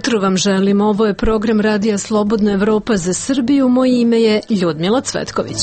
jutro vam želim. Ovo je program Radija Slobodna Evropa za Srbiju. Moje ime je Ljudmila Cvetković.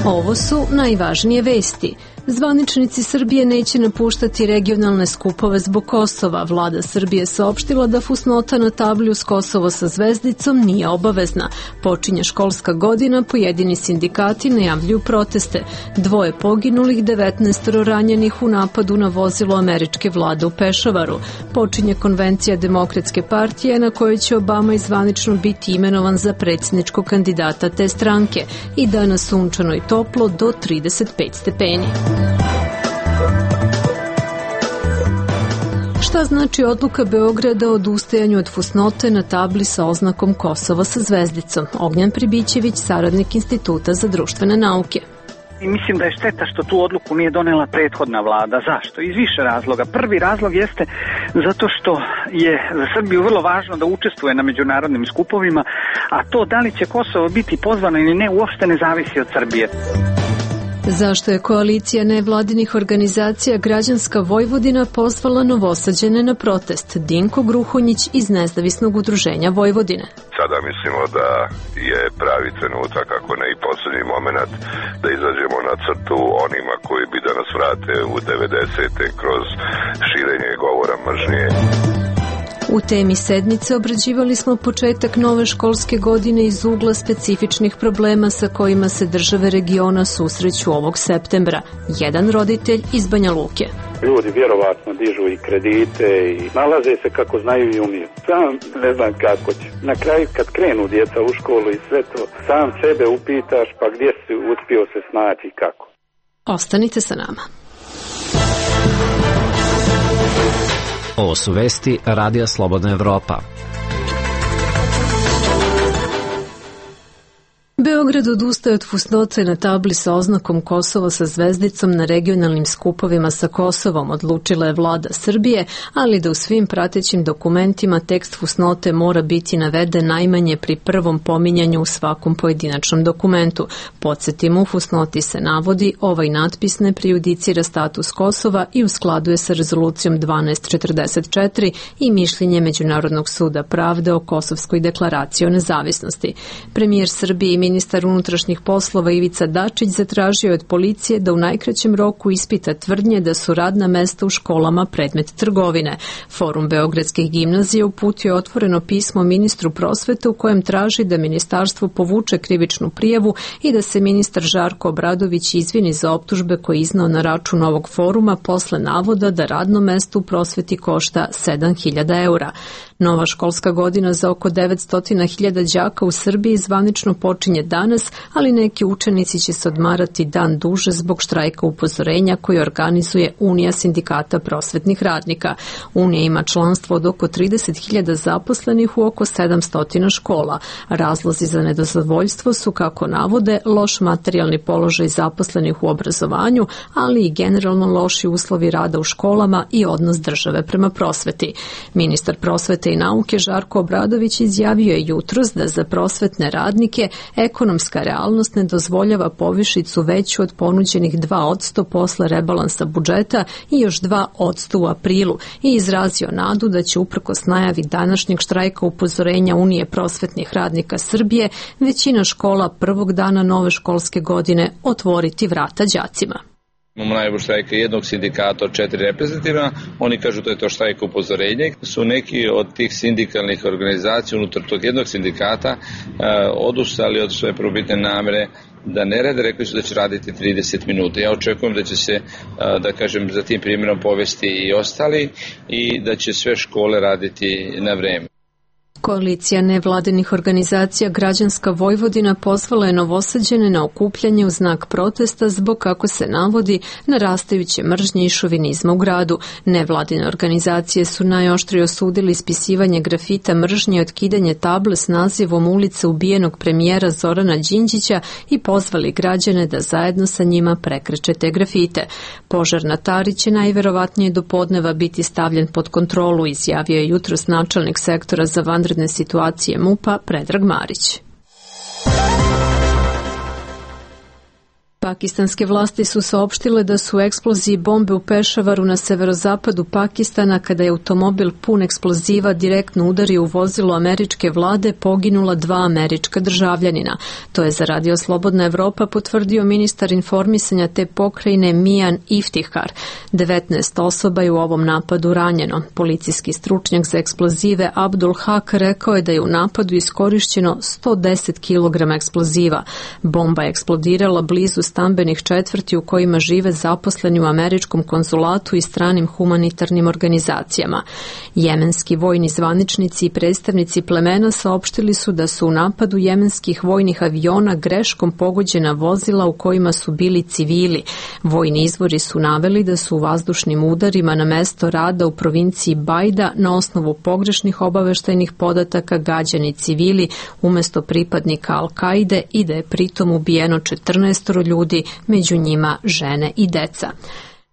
Ovo su najvažnije vesti. Zvaničnici Srbije neće napuštati regionalne skupove zbog Kosova. Vlada Srbije saopštila da fusnota na tabli uz Kosovo sa zvezdicom nije obavezna. Počinje školska godina, pojedini sindikati najavljuju proteste. 2 poginulih, 19 ranjenih u napadu na vozilo američke vlade u Pešavaru. Počinje konvencija Demokratske partije na kojoj će Obama zvanično biti imenovan za predsjedničkog kandidata te stranke. I danas sunčano i toplo do 35 stepeni. Šta znači odluka Beograda o odustajanju od fusnote na tabli sa oznakom Kosovo sa zvezdicom? Ognjan Pribićević, saradnik Instituta za društvene nauke. I mislim da je šteta što tu odluku nije donela prethodna vlada. Zašto? Iz više razloga. Prvi razlog jeste zato što je za Srbiju vrlo važno da učestvuje na međunarodnim skupovima, a to da li će Kosovo biti pozvano ili ne uopšte ne zavisi od Srbije. Zašto je koalicija nevladinih organizacija Građanska Vojvodina pozvala Novosađane na protest? Dinko Gruhonjić iz Nezavisnog udruženja Vojvodine. Sada mislimo da je pravi trenutak, ako ne i poslednji moment, da izađemo na crtu onima koji bi da nas vrate u 90. kroz širenje govora mržnje. U temi sedmice obrađivali smo početak nove školske godine iz ugla specifičnih problema sa kojima se države regiona susreću ovog septembra. Jedan roditelj iz Banja Luke. Ljudi vjerovatno dižu i kredite i nalaze se kako znaju i umiju. Sam ne znam kako će. Na kraju kad krenu djeca u školu i sve to, sam sebe upitaš pa gdje si uspio se snaći i kako. Ostanite sa nama. Ovo su vesti Radija Slobodna Evropa. Beograd odustaje od fusnote na tabli sa oznakom Kosovo sa zvezdicom na regionalnim skupovima sa Kosovom, odlučila je vlada Srbije, ali da u svim pratećim dokumentima tekst fusnote mora biti naveden najmanje pri prvom pominjanju u svakom pojedinačnom dokumentu. Podsjetimo, u fusnoti se navodi ovaj natpis ne prejudicira status Kosova i u skladu je sa rezolucijom 1244 i mišljenje Međunarodnog suda pravde o Kosovskoj deklaraciji o nezavisnosti. Premijer Srbije i ministar unutrašnjih poslova Ivica Dačić zatražio od policije da u najkraćem roku ispita tvrdnje da su radna mesta u školama predmet trgovine. Forum Beogradskih gimnazija uputio otvoreno pismo ministru prosvete u kojem traži da ministarstvo povuče krivičnu prijavu i da se ministar Žarko Obradović izvini za optužbe koje je iznao na račun ovog foruma posle navoda da radno mesto u prosveti košta 7.000 eura. Nova školska godina za oko 900.000 đaka u Srbiji zvanično počinje danas, ali neki učenici će se odmarati dan duže zbog štrajka upozorenja koji organizuje Unija sindikata prosvetnih radnika. Unija ima članstvo od oko 30.000 zaposlenih u oko 700 škola. Razlozi za nezadovoljstvo su, kako navode, loš materijalni položaj zaposlenih u obrazovanju, ali i generalno loši uslovi rada u školama i odnos države prema prosveti. Ministar prosvete i nauke Žarko Obradović izjavio je jutros da za prosvetne radnike ekonomska realnost ne dozvoljava povišicu veću od ponuđenih 2% posle rebalansa budžeta i još 2% u aprilu i izrazio nadu da će uprkos najavi današnjeg štrajka upozorenja Unije prosvetnih radnika Srbije većina škola prvog dana nove školske godine otvoriti vrata đacima. Imamo najavu štrajka jednog sindikata od 4 reprezentativna, oni kažu da je to štrajka upozorenje. Su neki od tih sindikalnih organizacija unutar tog jednog sindikata odustali od svoje prvobitne namere da ne rade, rekli su da će raditi 30 minuta. Ja očekujem da će se, da kažem, za tim primjerom povesti i ostali i da će sve škole raditi na vreme. Koalicija nevladinih organizacija Građanska Vojvodina pozvala je Novosađane na okupljanje u znak protesta zbog, kako se navodi, narastajuće mržnje i šovinizma u gradu. Nevladine organizacije su najoštrije osudili ispisivanje grafita mržnje i otkidanje table s nazivom ulice ubijenog premijera Zorana Đinđića i pozvali građane da zajedno sa njima prekreče te grafite. Požar na Tari će najverovatnije do podneva biti stavljen pod kontrolu, izjavio je jutros načelnik sektora za vanredne situacije MUP-a Predrag Marić. Pakistanske vlasti su saopštile da su eksploziji bombe u Pešavaru na severozapadu Pakistana, kada je automobil pun eksploziva direktno udario u vozilo američke vlade, poginula 2 američka državljanina. To je za Radio Slobodna Evropa potvrdio ministar informisanja te pokrajine Mijan Iftihar. 19 osoba je u ovom napadu ranjeno. Policijski stručnjak za eksplozive Abdul Haq rekao je da je u napadu iskorišćeno 110 kg eksploziva. Bomba je eksplodirala blizu stambenih četvrti u kojima žive zaposleni u američkom konzulatu i stranim humanitarnim organizacijama. Jemenski vojni zvaničnici i predstavnici plemena saopštili su da su u napadu jemenskih vojnih aviona greškom pogođena vozila u kojima su bili civili. Vojni izvori su naveli da su u vazdušnim udarima na mesto rada u provinciji Bajda na osnovu pogrešnih obaveštajnih podataka gađani civili umesto pripadnika Al-Kaide i da je pritom ubijeno 14 ljudi, među njima žene i deca.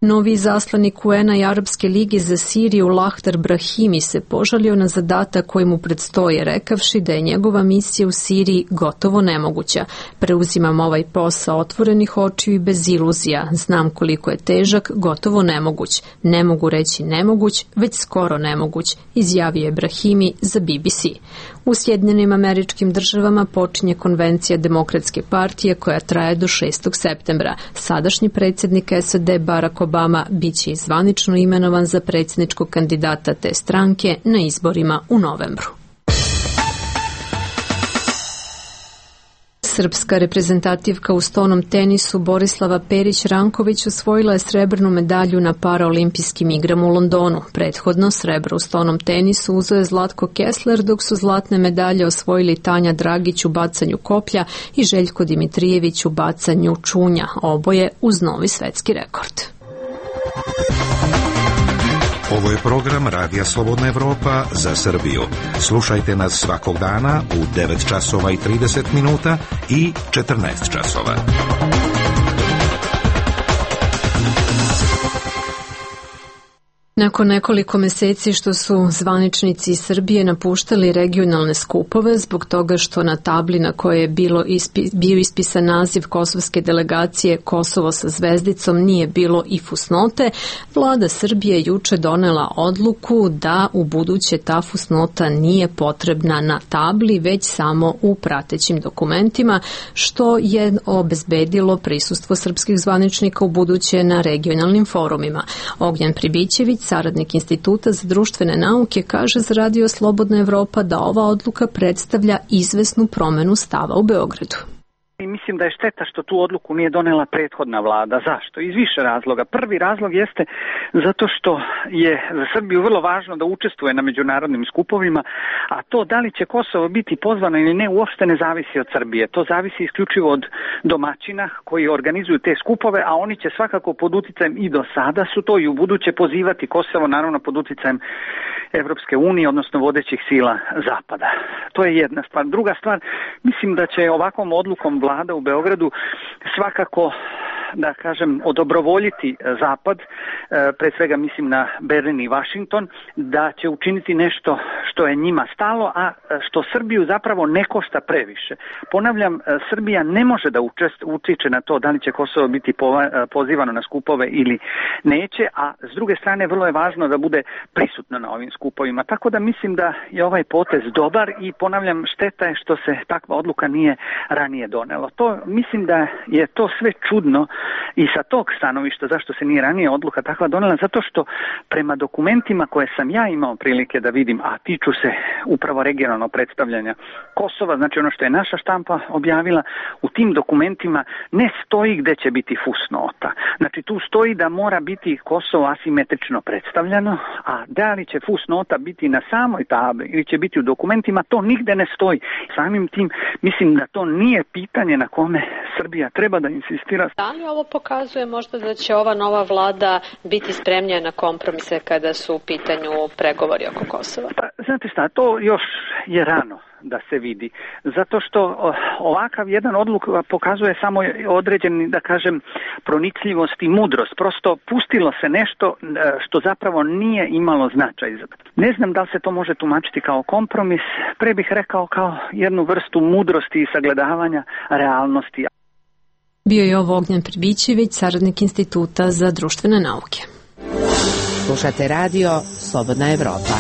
Novi izaslanik UN-a i Arapske lige za Siriju Lahtar Brahimi se požalio na zadatak koji mu predstoje, rekavši da je njegova misija u Siriji gotovo nemoguća. Preuzimam ovaj posao otvorenih očiju i bez iluzija. Znam koliko je težak, gotovo nemoguć. Ne mogu reći nemoguć, već skoro nemoguć, izjavio je Brahimi za BBC. U Sjedinjenim Američkim Državama počinje konvencija Demokratske partije koja traje do 6. septembra. Sadašnji predsjednik SAD Barack Obama biće zvanično imenovan za predsjedničkog kandidata te stranke na izborima u novembru. Srpska reprezentativka u stonom tenisu Borislava Perić-Ranković osvojila je srebrnu medalju na paraolimpijskim igrama u Londonu. Prethodno srebro u stonom tenisu uzeo je Zlatko Kessler, dok su zlatne medalje osvojili Tanja Dragić u bacanju koplja i Željko Dimitrijević u bacanju čunja, oboje uz novi svetski rekord. Ovo je program Radija Slobodna Evropa za Srbiju. Slušajte nas svakog dana u 9 časova i 30 minuta i 14 časova. Nakon nekoliko meseci što su zvaničnici iz Srbije napuštali regionalne skupove zbog toga što na tabli na kojoj je bio ispisan naziv kosovske delegacije Kosovo sa zvezdicom nije bilo i fusnote, vlada Srbije juče donela odluku da u buduće ta fusnota nije potrebna na tabli, već samo u pratećim dokumentima, što je obezbedilo prisustvo srpskih zvaničnika u buduće na regionalnim forumima. Ognjen Pribićević, saradnik Instituta za društvene nauke, kaže za Radio Slobodna Evropa da ova odluka predstavlja izvesnu promenu stava u Beogradu. I mislim da je šteta što tu odluku nije donela prethodna vlada. Zašto? Iz više razloga. Prvi razlog jeste zato što je za Srbiju vrlo važno da učestvuje na međunarodnim skupovima, a to da li će Kosovo biti pozvano ili ne uopšte ne zavisi od Srbije. To zavisi isključivo od domaćina koji organizuju te skupove, a oni će svakako pod uticajem i do sada su to i u buduće pozivati Kosovo, naravno pod uticajem Evropske unije, odnosno vodećih sila Zapada. To je jedna stvar. Druga stvar, mislim da će ovakvom odlukom vlada u Beogradu svakako, da kažem, odobrovoljiti Zapad, pre svega mislim na Berlin i Washington, da će učiniti nešto što je njima stalo, a što Srbiju zapravo ne košta previše. Ponavljam, Srbija ne može da utiče na to da li će Kosovo biti pozivano na skupove ili neće, a s druge strane vrlo je važno da bude prisutno na ovim skupovima. Tako da mislim da je ovaj potez dobar i ponavljam, šteta je što se takva odluka nije ranije donela. To mislim da je to sve čudno i sa tog stanovišta zašto se nije ranije odluka takva donela, zato što prema dokumentima koje sam ja imao prilike da vidim, a tiču se upravo regionalno predstavljanja Kosova, znači ono što je naša štampa objavila, u tim dokumentima ne stoji gde će biti fusnota. Znači tu stoji da mora biti Kosovo asimetrično predstavljeno, a da li će fusnota biti na samoj tabli ili će biti u dokumentima, to nigde ne stoji. Samim tim mislim da to nije pitanje na kome Srbija treba da insistira. Da li ovo pokazuje možda da će ova nova vlada biti spremnija na kompromise kada su u pitanju pregovori oko Kosova? Pa, znate šta, to još je rano da se vidi, zato što ovakav jedan odluk pokazuje samo određeni, da kažem, pronicljivost i mudrost. Prosto pustilo se nešto što zapravo nije imalo značaj. Ne znam da li se to može tumačiti kao kompromis, pre bih rekao kao jednu vrstu mudrosti i sagledavanja realnosti. Bio je ovo Ognjen Pribićević, saradnik Instituta za društvene nauke. Slušate radio Slobodna Evropa.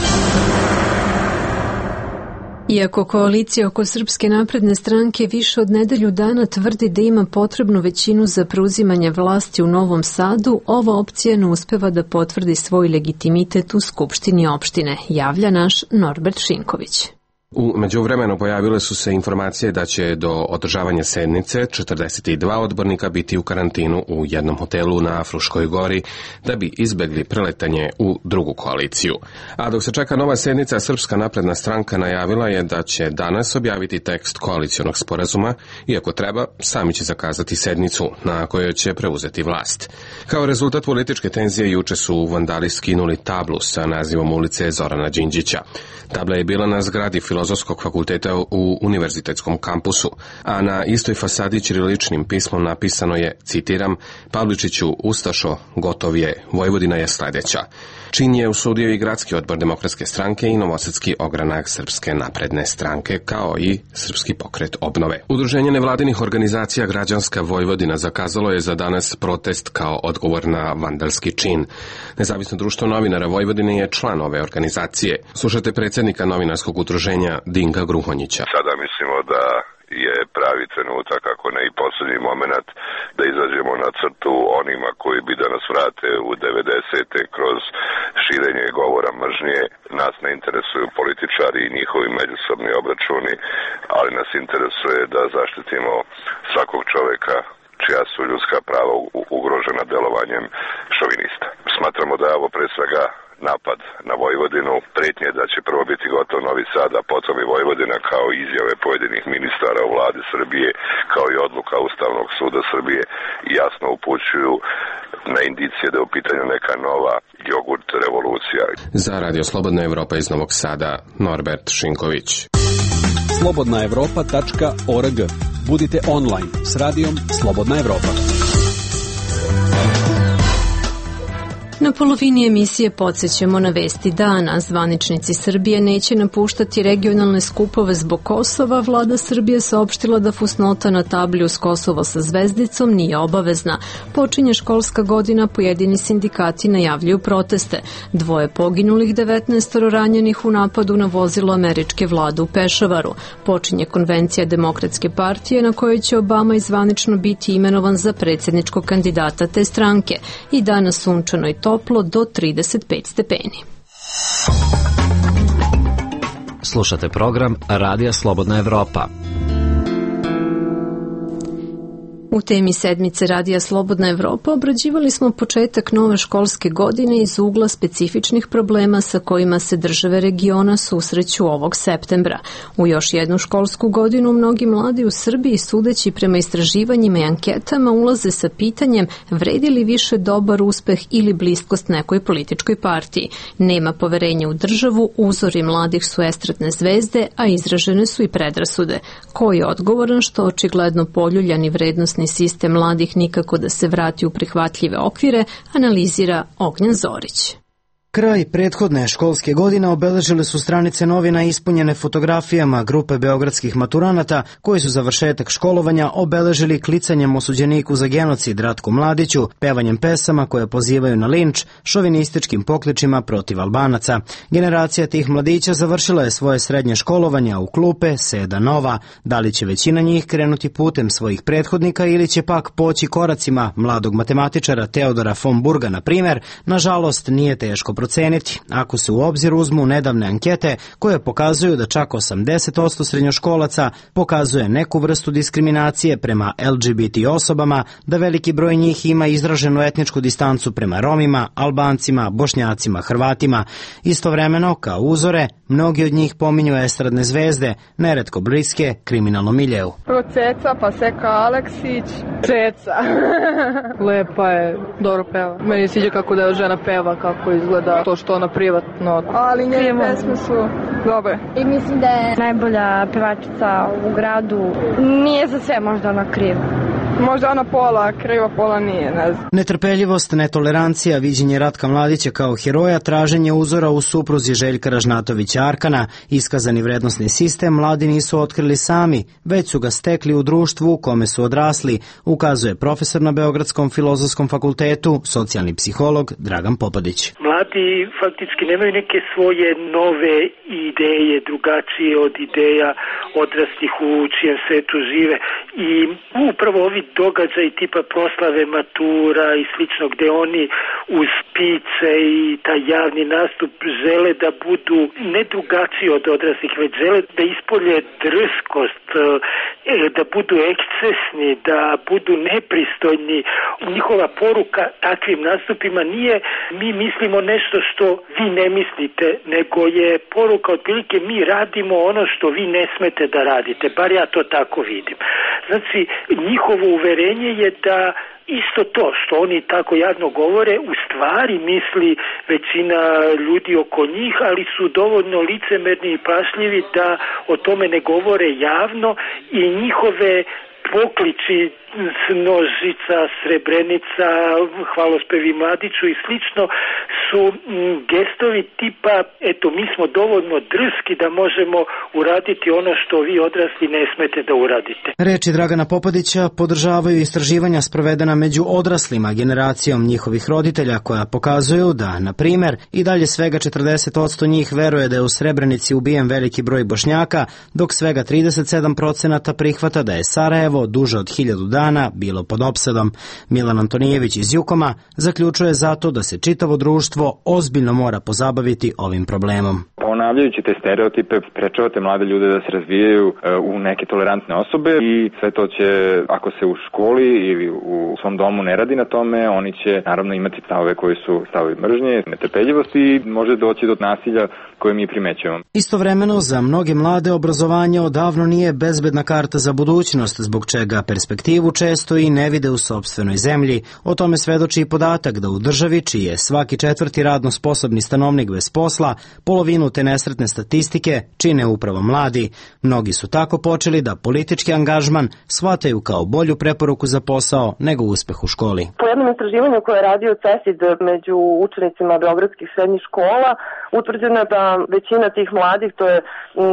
Iako koalicija oko Srpske napredne stranke više od nedelju dana tvrdi da ima potrebnu većinu za preuzimanje vlasti u Novom Sadu, ova opcija ne uspeva da potvrdi svoj legitimitet u Skupštini opštine, javlja naš Norbert Šinković. U međuvremenu pojavile su se informacije da će do održavanja sednice 42 odbornika biti u karantinu u jednom hotelu na Fruškoj gori da bi izbegli preletanje u drugu koaliciju. A dok se čeka nova sednica, Srpska napredna stranka najavila je da će danas objaviti tekst koalicionog sporazuma, iako treba, sami će zakazati sednicu na kojoj će preuzeti vlast. Kao rezultat političke tenzije juče su vandali skinuli tablu sa nazivom ulice Zorana Đinđića. Tabla je bila na zgradi Filozofskog fakulteta u univerzitetskom kampusu, a na istoj fasadi ćiriličnim pismom napisano je, citiram, Pavličiću, Ustašo, gotov je, Vojvodina je sledeća. Čin je usudio i gradski odbor Demokratske stranke i novosadski ogranak Srpske napredne stranke, kao i Srpski pokret obnove. Udruženje nevladinih organizacija Građanska Vojvodina zakazalo je za danas protest kao odgovor na vandalski čin. Nezavisno društvo novinara Vojvodine je član ove organizacije. Slušate predsjednika novinarskog udruženja Dinka Gruhonjića. Sada mislimo da je pravi trenutak, ako ne i posljednji moment, da izađemo na crtu onima koji bi da nas vrate u 90. kroz širenje govora mržnje. Nas ne interesuju političari i njihovi međusobni obračuni, ali nas interesuje da zaštitimo svakog čoveka čija su ljudska prava ugrožena delovanjem šovinista. Smatramo da je ovo pre svega napad na Vojvodinu, pretnje da će prvo biti gotov Novi Sad, a potom i Vojvodina, kao izjave pojedinih ministara u vladi Srbije, kao i odluka Ustavnog suda Srbije, jasno upućuju na indicije da je u pitanju neka nova jogurt revolucija. Za Radio Slobodna Evropa iz Novog Sada, Norbert Šinković. slobodnaevropa.org. Budite online s radijom Slobodna Evropa. Na polovini emisije podsjećamo na vesti dana. Zvaničnici Srbije neće napuštati regionalne skupove zbog Kosova. Vlada Srbije saopštila da fusnota na tabli uz Kosovo sa zvezdicom nije obavezna. Počinje školska godina, pojedini sindikati najavljuju proteste. 2 poginulih, 19 ranjenih u napadu na vozilo američke vlade u Pešavaru. Počinje konvencija Demokratske partije na kojoj će Obama izvanično biti imenovan za predsjedničkog kandidata te stranke. I danas sunčano i toplo do 35 stepeni. Slušate program Radija Slobodna Evropa. U temi sedmice Radija Slobodna Evropa obrađivali smo početak nove školske godine iz ugla specifičnih problema sa kojima se države regiona susreću ovog septembra. U još jednu školsku godinu mnogi mladi u Srbiji, sudeći prema istraživanjima i anketama, ulaze sa pitanjem vredi li više dobar uspeh ili bliskost nekoj političkoj partiji. Nema poverenja u državu, uzori mladih su estradne zvezde, a izražene su i predrasude. Ko je odgovoran što očigledno poljuljani vrednosni sistem mladih nikako da se vrati u prihvatljive okvire, analizira Ognjen Zorić. Kraj prethodne školske godine obeležile su stranice novina ispunjene fotografijama grupe beogradskih maturanata koji su završetak školovanja obeležili klicanjem osuđeniku za genocid Ratku Mladiću, pevanjem pesama koje pozivaju na linč, šovinističkim pokličima protiv Albanaca. Generacija tih mladića završila je svoje srednje školovanje, a u klupe seda nova. Da li će većina njih krenuti putem svojih prethodnika ili će pak poći koracima mladog matematičara Teodora von Burga, na primjer, nažalost nije teško proceniti, ako se u obzir uzmu nedavne ankete koje pokazuju da čak 80% srednjoškolaca pokazuje neku vrstu diskriminacije prema LGBT osobama, da veliki broj njih ima izraženu etničku distancu prema Romima, Albancima, Bošnjacima, Hrvatima. Istovremeno, kao uzore, mnogi od njih pominju estradne zvezde, neretko bliske kriminalnom miljeu. Prvo Ceca, pa Seka Aleksić. Ceca. Lepa je, dobro peva. Meni sviđa kako da je žena peva, kako izgleda to što ona privatno. Ali njene pesme su dobre. I mislim da je najbolja pevačica u gradu. Nije za sve možda ona kriva. Možda ona pola kriva, pola nije, ne znam. Netrpeljivost, netolerancija, viđenje Ratka Mladića kao heroja, traženje uzora u supruzi Željka Ražnatovića Arkana, iskazani vrednosni sistem mladi nisu otkrili sami, već su ga stekli u društvu u kome su odrasli, ukazuje profesor na Beogradskom filozofskom fakultetu, socijalni psiholog Dragan Popadić. Mladi faktički nemaju neke svoje nove ideje, drugačije od ideja odraslih u čijem svetu žive i upravo ovi događaji tipa proslave matura i slično gde oni uz pice i taj javni nastup žele da budu ne drugačiji od odraslih, već žele da ispolje drskost, da budu ekscesni, da budu nepristojni. Njihova poruka takvim nastupima nije mi mislimo nešto što vi ne mislite, nego je poruka otprilike mi radimo ono što vi ne smete da radite, bar ja to tako vidim. Znači, njihovo uverenje je da isto to što oni tako jadno govore, u stvari misli većina ljudi oko njih, ali su dovoljno licemerni i pašljivi da o tome ne govore javno i njihove pokliči Nožica, Srebrenica, Hvalospevi Mladiću i slično su gestovi tipa eto mi smo dovoljno drski da možemo uraditi ono što vi odrasli ne smete da uradite. Reči Dragana Popadića podržavaju istraživanja sprovedena među odraslima generacijom njihovih roditelja koja pokazuju da, na primer, i dalje svega 40% njih veruje da je u Srebrenici ubijen veliki broj Bošnjaka, dok svega 37% prihvata da je Sarajevo duže od 1000 dana bilo pod opsadom. Milan Antonijević iz Jukoma zaključuje zato da se čitavo društvo ozbiljno mora pozabaviti ovim problemom. Ponavljajući te stereotipe, sprečavate mlade ljude da se razvijaju u neke tolerantne osobe i sve to će, ako se u školi ili u svom domu ne radi na tome, oni će naravno imati stavove koji su stavovi mržnje, netrpeljivosti i može doći do nasilja koje mi primećujemo. Istovremeno, za mnoge mlade obrazovanje odavno nije bezbedna karta za budućnost, zbog čega perspektivu često i ne vide u sopstvenoj zemlji. O tome svedoči i podatak da u državi, čiji je svaki četvrti radno sposobni stanovnik bez posla, polovinu te nesretne statistike čine upravo mladi. Mnogi su tako počeli da politički angažman shvataju kao bolju preporuku za posao nego uspeh u školi. Po jednom istraživanju koje je radio CESID među učenicima beogradskih srednjih škola, utvrđeno je da većina tih mladih, to je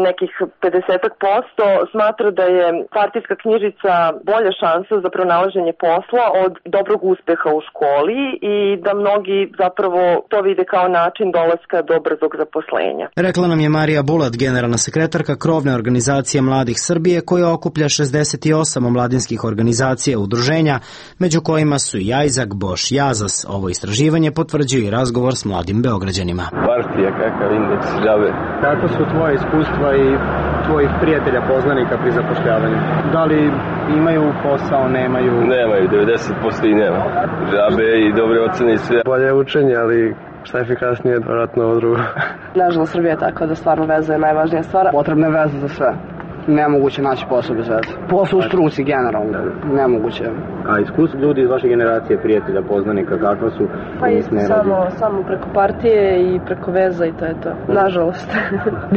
nekih 50%, smatra da je partijska knjižica bolja šansa za pronalaženje posla od dobrog uspeha u školi i da mnogi zapravo to vide kao način dolaska do brzog zaposlenja. Rekla nam je Marija Bulat, generalna sekretarka krovne organizacije Mladih Srbije, koja okuplja 68 omladinskih organizacija i udruženja, među kojima su i Ajzak, Boš, Jazas. Ovo istraživanje potvrđuje i razgovor s mladim Beograđanima. Partija, kakav indeks žave. Kako su tvoje iskustva i tvojih prijatelja, poznanika pri zapošljavanju? Da li imaju posao, nemaju? Nemaju, 90% i nema. Žabe i dobre ocene i sve. Bolje učenje, ali šta je efikasnije, vjerojatno ovo drugo. Nažalost, Srbija je tako da stvarno veza je najvažnija stvar. Potrebne veze za sve. Nemoguće naći posao bez veze. Posao u struci generalno, nemoguće. A iskustvo ljudi iz vaše generacije, prijatelja, poznanika, kakva su? Pa i samo preko partije i preko veza i to je to. Nažalost.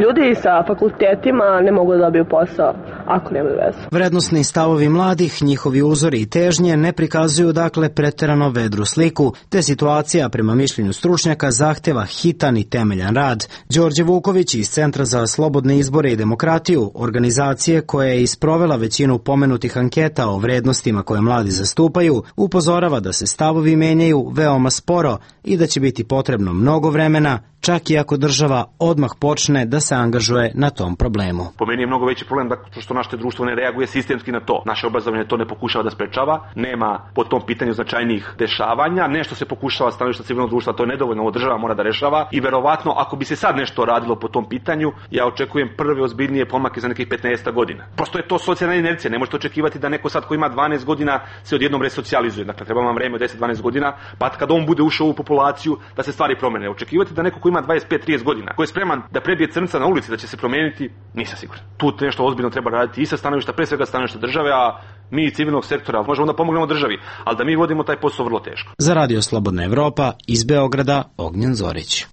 Ljudi sa fakultetima ne mogu da dobiju posao ako nemaju veze. Vrednosni stavovi mladih, njihovi uzori i težnje ne prikazuju dakle preterano vedru sliku, te situacija prema mišljenju stručnjaka zahteva hitan i temeljan rad. Đorđe Vuković iz Centra za slobodne izbore i demokratiju, organizacije koja je isprovela većinu pomenutih anketa o vrednostima koje mladi zastupaju, upozorava da se stavovi menjaju veoma sporo i da će biti potrebno mnogo vremena, čak i ako država odmah počne da se angažuje na tom problemu. Po meni je mnogo veći problem što naše društvo ne reaguje sistemski na to. Naše obrazovanje to ne pokušava da sprečava, nema po tom pitanju značajnijih dešavanja, nešto se pokušava stanovišta civilnog društva, to je nedovoljno, ovo država mora da rešava i verovatno ako bi se sad nešto radilo po tom pitanju, ja očekujem prve ozbiljnije pomake za nekih 15 godina. Prosto je to socijalna inercija, ne možete očekivati da neko sad ko ima 12 godina se odjednom resocijalizuje. Dakle, treba vam vreme od 10-12 godina, pa kad on bude ušao u populaciju da se stvari promene. Očekivati da neko ko ima 25-30 godina, ko je spreman da prebije crnca na ulici, da će se promeniti, nisam siguran. Tu nešto ozbiljno treba raditi i sa stanovišta, pre svega stanovišta države, a mi i civilnog sektora možemo da pomognemo državi, ali da mi vodimo taj posao vrlo teško. Za Radio Slobodna Evropa iz Beograda, Ognjen Zorić.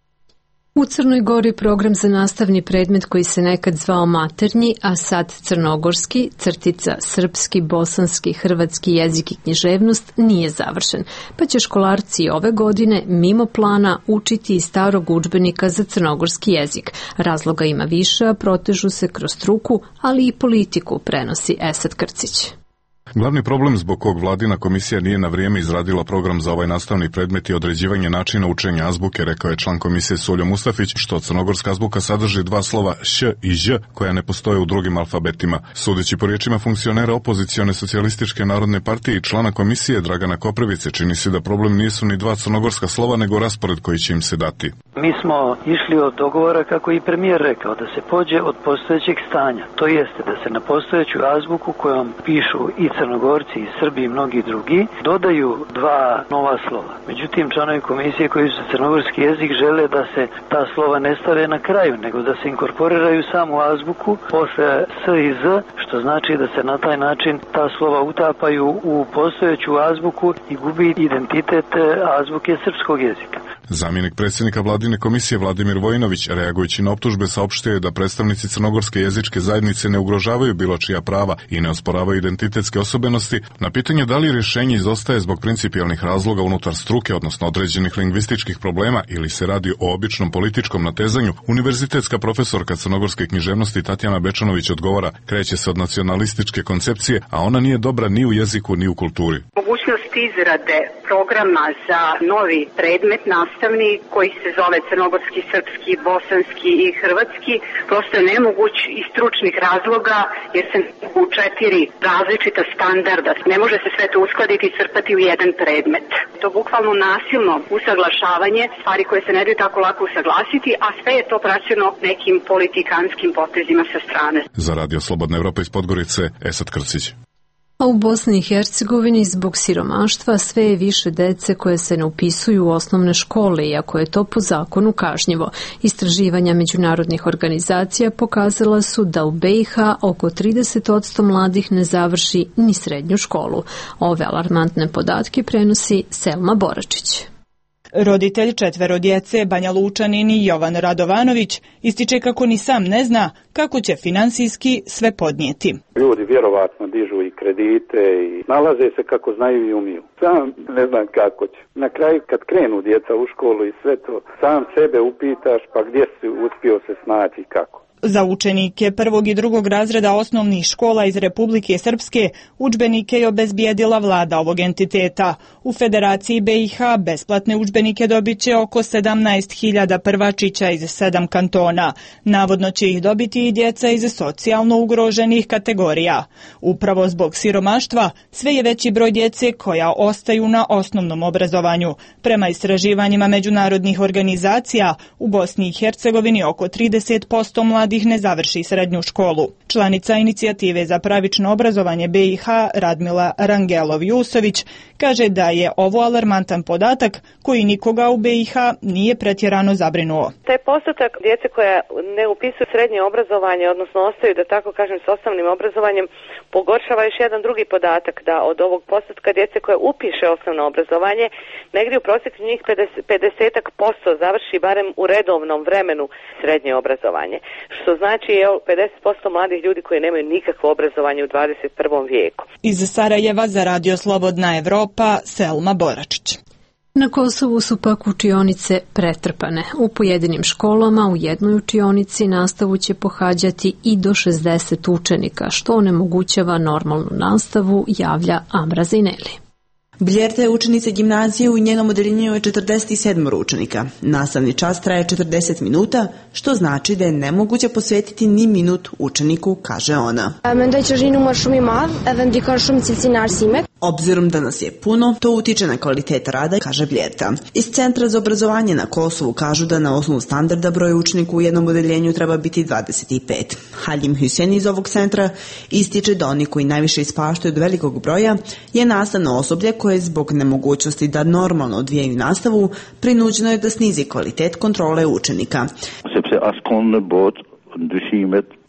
U Crnoj Gori program za nastavni predmet koji se nekad zvao maternji, a sad crnogorski, srpski, bosanski, hrvatski jezik i književnost nije završen, pa će školarci ove godine mimo plana učiti iz starog udžbenika za crnogorski jezik. Razloga ima više, a protežu se kroz struku, ali i politiku, prenosi Esad Krcić. Glavni problem zbog kog vladina komisija nije na vrijeme izradila program za ovaj nastavni predmet je određivanje načina učenja azbuke, rekao je član komisije Suljo Mustafić, što crnogorska azbuka sadrži dva slova š i ž koja ne postoje u drugim alfabetima. Sudeći po riječima funkcionera opozicione socijalističke narodne partije i člana komisije Dragana Koprivice, čini se da problem nisu ni dva crnogorska slova, nego raspored koji će im se dati. Mi smo išli od dogovora, kako i premijer rekao, da se pođe od postojećeg stanja. To jeste da se na postojeću azbuku kojom pišu i Crnogorci i Srbi i mnogi drugi dodaju dva nova slova. Međutim, članovi komisije koji su crnogorski jezik žele da se ta slova ne stave na kraju, nego da se inkorporiraju samo u azbuku posle S i Z, što znači da se na taj način ta slova utapaju u postojeću azbuku i gubi identitet azbuke srpskog jezika. Zamjenik predsjednika vladine komisije Vladimir Vojinović, reagujući na optužbe, saopštio je da predstavnici crnogorske jezičke zajednice ne ugrožavaju bilo čija prava i ne osporavaju identitetske osobenosti. Na pitanje da li rješenje izostaje zbog principijelnih razloga unutar struke, odnosno određenih lingvističkih problema, ili se radi o običnom političkom natezanju, univerzitetska profesorka crnogorske književnosti Tatjana Bečanović odgovara: kreće se od nacionalističke koncepcije, a ona nije dobra ni u jeziku ni u kulturi. Mogućnost izrade programa za novi predmet nastavni koji se zove crnogorski, srpski, bosanski i hrvatski prosto je nemoguć iz stručnih razloga jer se u 4 različita standarda. Ne može se sve to uskladiti i crpati u jedan predmet. To bukvalno nasilno usaglašavanje, stvari koje se ne daju tako lako usaglasiti, a sve je to praćeno nekim politikanskim potezima sa strane. Za Radio Slobodna Evropa iz Podgorice, Esad Krcić. A u Bosni i Hercegovini zbog siromaštva sve je više dece koje se ne upisuju u osnovne škole, iako je to po zakonu kažnjivo. Istraživanja međunarodnih organizacija pokazala su da u BiH oko 30% mladih ne završi ni srednju školu. Ove alarmantne podatke prenosi Selma Boračić. Roditelj 4 djece, Banja Lučanin i Jovan Radovanović, ističe kako ni sam ne zna kako će finansijski sve podnijeti. Ljudi vjerovatno dižu i kredite i nalaze se kako znaju i umiju. Sam ne znam kako će. Na kraju kad krenu djeca u školu i sve to, sam sebe upitaš pa gdje si uspio se snaći i kako. Za učenike 1. i 2. razreda osnovnih škola iz Republike Srpske udžbenike je obezbijedila vlada ovog entiteta. U Federaciji BiH besplatne udžbenike dobit će oko 17.000 prvačića iz 7 kantona. Navodno će ih dobiti i djeca iz socijalno ugroženih kategorija. Upravo zbog siromaštva sve je veći broj djece koja ostaju na osnovnom obrazovanju. Prema istraživanjima međunarodnih organizacija, u Bosni i Hercegovini oko 30% mladih ne završi srednju školu. Članica inicijative za pravično obrazovanje BiH Radmila Rangelov-Jusović kaže da je ovo alarmantan podatak koji nikoga u BiH nije pretjerano zabrinuo. Taj postotak djece koja ne upisuju srednje obrazovanje, odnosno ostaju, da tako kažem, s osnovnim obrazovanjem, pogoršava još jedan drugi podatak, da od ovog postotka djece koja upiše osnovno obrazovanje, negdje u prosjeku njih 50% završi barem u redovnom vremenu srednje obrazovanje. Što znači 50% mladih ljudi koji nemaju nikakvo obrazovanje u 21. vijeku. Iz Sarajeva za Radio Slobodna Evropa, Selma Boračić. Na Kosovu su pak učionice pretrpane. U pojedinim školama u jednoj učionici nastavu će pohađati i do 60 učenika, što onemogućava normalnu nastavu, javlja Amra Zineli. Bljerta je učenica gimnazije, u njenom odeljenju je 47 učenika. Nastavni čas traje 40 minuta, što znači da je nemoguće posvetiti ni minut učeniku, kaže ona. Obzirom da nas je puno, to utiče na kvalitet rada, kaže Bljerta. Iz Centra za obrazovanje na Kosovu kažu da na osnovu standarda broj učenika u jednom odeljenju treba biti 25. Halim Hüseyin iz ovog centra ističe da oni koji najviše ispaštaju od velikog broja je nastavno osoblje koje zbog nemogućnosti da normalno odvijaju nastavu prinuđeno je da snizi kvalitet kontrole učenika.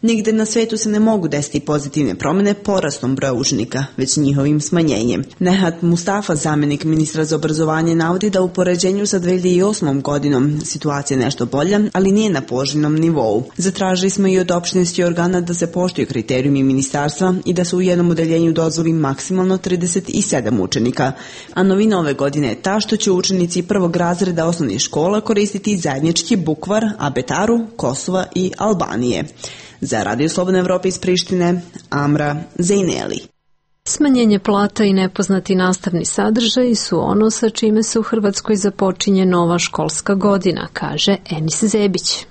Nigde na svetu se ne mogu desiti pozitivne promjene porastom broja učenika, već njihovim smanjenjem. Nehat Mustafa, zamjenik ministra za obrazovanje, navodi da u poređenju sa 2008. godinom situacija je nešto bolja, ali nije na poželjnom nivou. Zatražili smo i od opštinskih organa da se poštuju kriterijumi ministarstva i da se u jednom odeljenju dozvoli maksimalno 37 učenika. A novina ove godine je ta što će učenici prvog razreda osnovnih škola koristiti zajednički bukvar Abetaru, Kosova i Albanije. Za Radio Slobodna Evropa iz Prištine, Amra Zejneli. Smanjenje plata i nepoznati nastavni sadržaji su ono sa čime se u Hrvatskoj započinje nova školska godina, kaže Enis Zebić.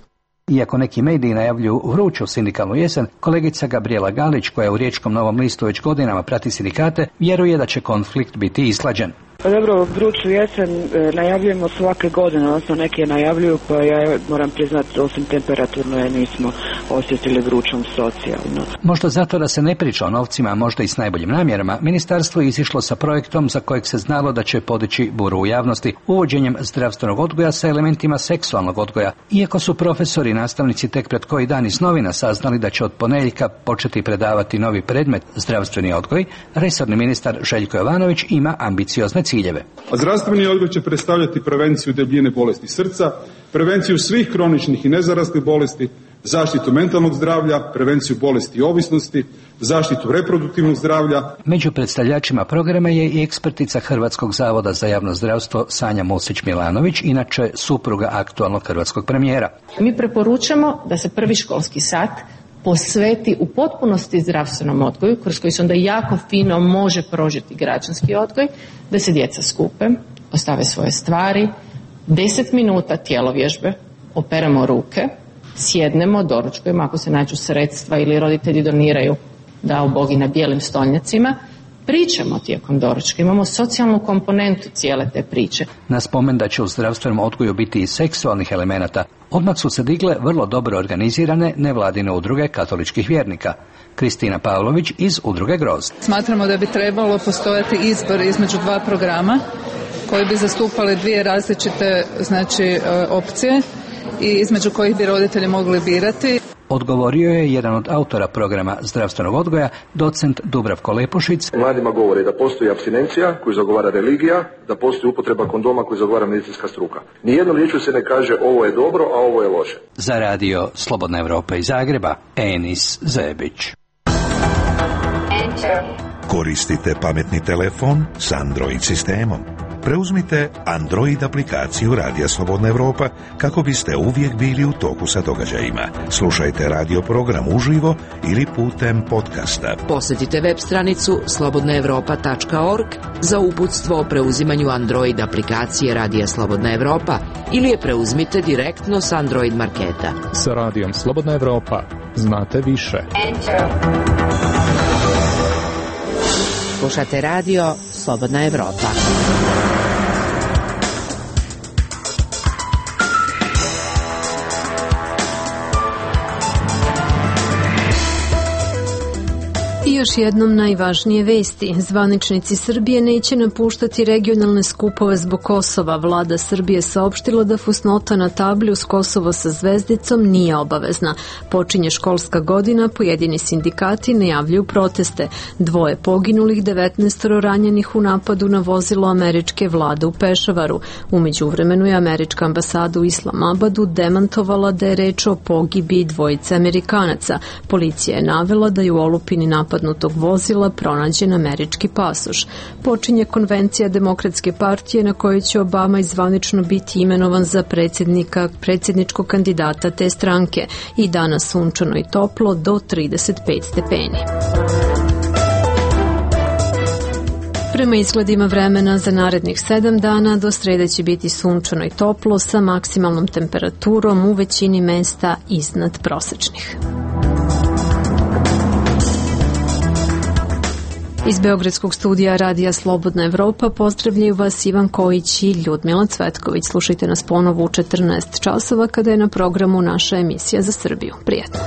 Iako neki mediji najavljuju vruću sindikalnu jesen, kolegica Gabriela Galić, koja u Riječkom Novom listu već godinama prati sindikate, vjeruje da će konflikt biti isklađen. Pa dobro, vruću jesen najavljujemo svake godine, odnosno neki je najavljuju, pa ja moram priznati, osim temperaturno, ja nismo osjetili vrućom socijalno. Možda zato da se ne priča o novcima, možda i s najboljim namjerama, ministarstvo je izišlo sa projektom za kojeg se znalo da će podići buru u javnosti, uvođenjem zdravstvenog odgoja sa elementima seksualnog odgoja. Iako su profesori i nastavnici tek pred koji dan iz novina saznali da će od ponedjeljka početi predavati novi predmet zdravstveni odgoj, resorni ministar Željko Jovanović ima ambiciozne ciljeve. A zdravstveni odgoj će predstavljati prevenciju debljine bolesti srca, prevenciju svih kroničnih i nezaraslih bolesti, zaštitu mentalnog zdravlja, prevenciju bolesti i ovisnosti, zaštitu reproduktivnog zdravlja. Među predstavljačima programa je i ekspertica Hrvatskog zavoda za javno zdravstvo Sanja Musić-Milanović, inače supruga aktualnog hrvatskog premijera. Mi preporučamo da se prvi školski sat posveti u potpunosti zdravstvenom odgoju, kroz koji se onda jako fino može prožiti građanski odgoj, da se djeca skupe, ostave svoje stvari, 10 minuta tjelovježbe, operemo ruke, sjednemo, doručkujemo, ako se nađu sredstva ili roditelji doniraju, dao Bog i na bijelim stolnjacima, pričamo tijekom doručka, imamo socijalnu komponentu cijele te priče. Na spomen da će u zdravstvenom odgoju biti i seksualnih elemenata, odmah su se digle vrlo dobro organizirane nevladine udruge katoličkih vjernika. Kristina Pavlović iz udruge Grozd. Smatramo da bi trebalo postojati izbor između dva programa koji bi zastupali dvije različite opcije i između kojih bi roditelji mogli birati. Odgovorio je jedan od autora programa zdravstvenog odgoja, docent Dubravko Lepušić. Mladima govore da postoji apstinencija koju zagovara religija, da postoji upotreba kondoma koju zagovara medicinska struka. Nijednom riječju se ne kaže ovo je dobro, a ovo je loše. Za Radio Slobodna Evropa iz Zagreba, Enis Zebić. Koristite pametni telefon s Android sistemom. Preuzmite Android aplikaciju Radija Slobodna Evropa kako biste uvijek bili u toku sa događajima. Slušajte radio program uživo ili putem podcasta. Posjetite web stranicu slobodnaevropa.org za uputstvo o preuzimanju Android aplikacije Radija Slobodna Evropa ili je preuzmite direktno s Android marketa. Sa Radijom Slobodna Evropa znate više. Slušate radio Slobodna Evropa. I još jednom najvažnije vesti. Zvaničnici Srbije neće napuštati regionalne skupove zbog Kosova. Vlada Srbije saopštila da fusnota na tabli uz Kosovo sa zvezdicom nije obavezna. Počinje školska godina, pojedini sindikati najavljuju proteste. 2 poginulih, 19 ranjenih u napadu na vozilo američke vlade u Pešavaru. U međuvremenu je američka ambasada u Islamabadu demantovala da je reč o pogibiji 2 Amerikanaca. Policija je navela da je u olupini napadnutog vozila pronađen američki pasoš. Počinje konvencija Demokratske partije na kojoj će Obama zvanično biti imenovan za predsjedničkog kandidata te stranke. I danas sunčano i toplo do 35 stepeni. Prema izgledima vremena za narednih 7 dana do srede će biti sunčano i toplo sa maksimalnom temperaturom u većini mesta iznad prosečnih. Iz Beogradskog studija Radija Slobodna Evropa pozdravljaju vas Ivan Kojić i Ljudmila Cvetković. Slušajte nas ponovo u 14 časova kada je na programu naša emisija za Srbiju. Prijetno!